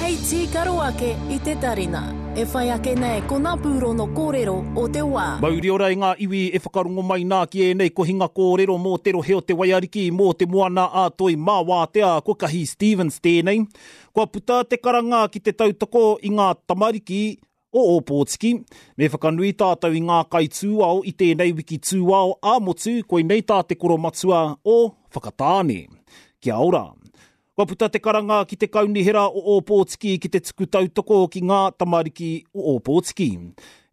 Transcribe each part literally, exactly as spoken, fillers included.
Hei tīkaro ake i te tarina. E whai ake nei ko ngā pūrono kōrero o te wā. Mauri ora i ngā iwi e whakarongo mai nā ki ēnei kohinga kōrero mō te rohe o te Waiariki, mō te moana a Toi mā Wātea, ko Kahi Stevens tēnei. Kua puta te karanga ki te tautoko i ngā tamariki o Ōpōtiki. Me whakanui tātou i ngā kaitūao i tēnei wiki tūao ā-motu, koinei tā te koromatua o Whakatāne. Kia ora. Kua puta te karanga ki te kaunihera o Ōpōtiki ki te tuku tautoko ki ngā tamariki o Ōpōtiki.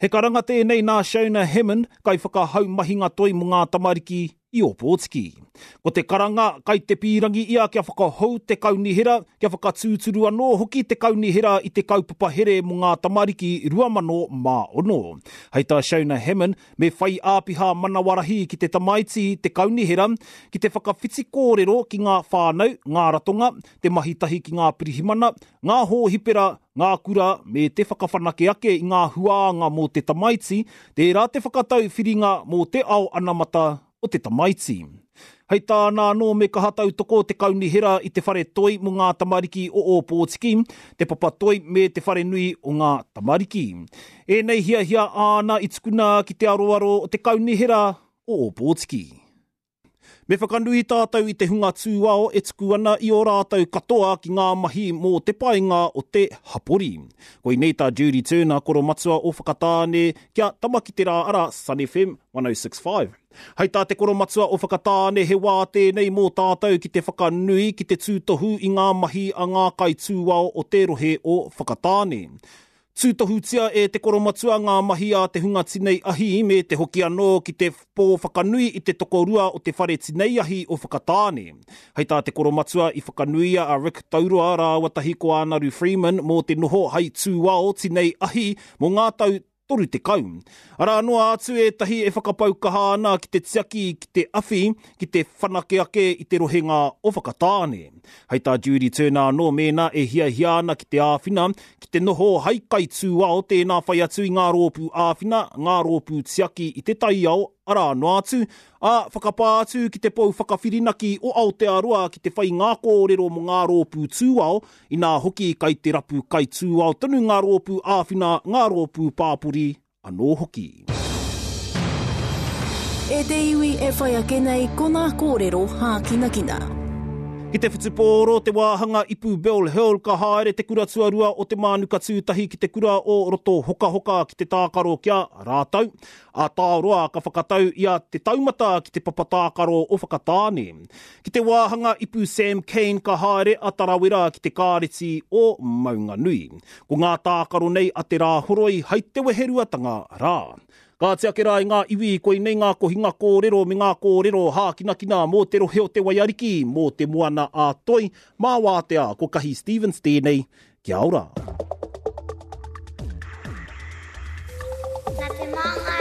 He karanga tēnei nā Shona Hammond, kaiwhakahau mahinga toi mō ngā tamariki i Ōpōtiki. Ko te karanga kai te pīrangi ia kia whakahou te kaunihera, kia whakatūturu anō hoki te kaunihera i te kaupapa here mō ngā tamariki rua mano mā ono. Hei tā Shona Hammond, me whai āpiha manawarahi ki te tamaiti te kaunihera, ki te whakawhiti kōrero ki ngā whānau, ngā ratonga, te mahi tahi ki ngā pirihimana, ngā hōhipera, ngā kura, me te whakawhanake ake i ngā huānga mō te tamaiti, tērā te whakatau whiringa mō te ao anamata o te tamaiti. Hei tāna anō me kaha tautoko te kaunihera i te whare toi mō ngā tamariki o Ōpōtiki, te papa toi me te whare nui o ngā tamariki. Ēnei hiahia āna i tukuna ki te aroaro o te kaunihera o Ōpōtiki. Me whakanui tātou i te hunga tūao e tuku ana i ō rātou katoa ki ngā mahi mō te painga o te hapori. Koinei tā Judy Turner, koromatua o Whakatāne, kia tama ki te rā ara Sun F M one oh six five. Hei tā te koromatua o Whakatāne, he wā tēnei mō tātou ki te whakanui ki te tūtohu i ngā mahi a ngā kaitūao o te rohe o Whakatāne. Tūtohutia e te koromatua ngā mahi a te hunga tinei ahi me te hoki anō ki te pō whakanui i te tokorua o te whare tinei ahi o Whakatāne. Hei tā te koromatua i whakanuia a Rick Tauroa rāua tahi ko Anaru Freeman mō te noho hei tūao tinei ahi mō ngā tau toru tekau. Arā noa atu ētahi e whakapau kaha ana ki te tiaki, ki te awhi, ki te whanake ake i te rohenga o Whakatāne. Hei tā Judy Turner anō mēnā e hiahia ana ki te āwhina, ki te noho hei kaitūao tēnā whai atu i ngā rōpū āwhina, ngā rōpū tiaki i te taiao, arā noa atu, ā, whakapā atu ki te pou whakawhirinaki o Aotearoa ki te whai ngā kōrero mō ngā rōpū tūao, inā hoki kai te rapu kaitūao tonu ngā rōpū āwhina, ngā rōpū pāpori anō hoki. E te iwi e whai ake nei ko ngā kōrero hākinakina. Ki te whutupōro te wāhanga ipu Bill Hill ka haere te kura tuarua o te Mānuka Tūtahi ki te kura o Roto Hokahoka ki te tākaro kia rātou. A Tāroa ka whakatau i a te taumata ki te papa tākaro o Whakatāne. Ki te wāhanga ipu Sam Kane ka haere a Tarawera ki te kāreti o Maunganui. Ko ngā tākaro nei a te rā horoi hei te weheruatanga rā. Ka tiake rā i ngā iwi, koinei ngā kohinga kōrero me ngā kōrero hākinakina mō te rohe o te Waiariki, mō te moana a Toi, mā Wātea, ko Kahi Stevens tēnei, kia ora. Nā te māngai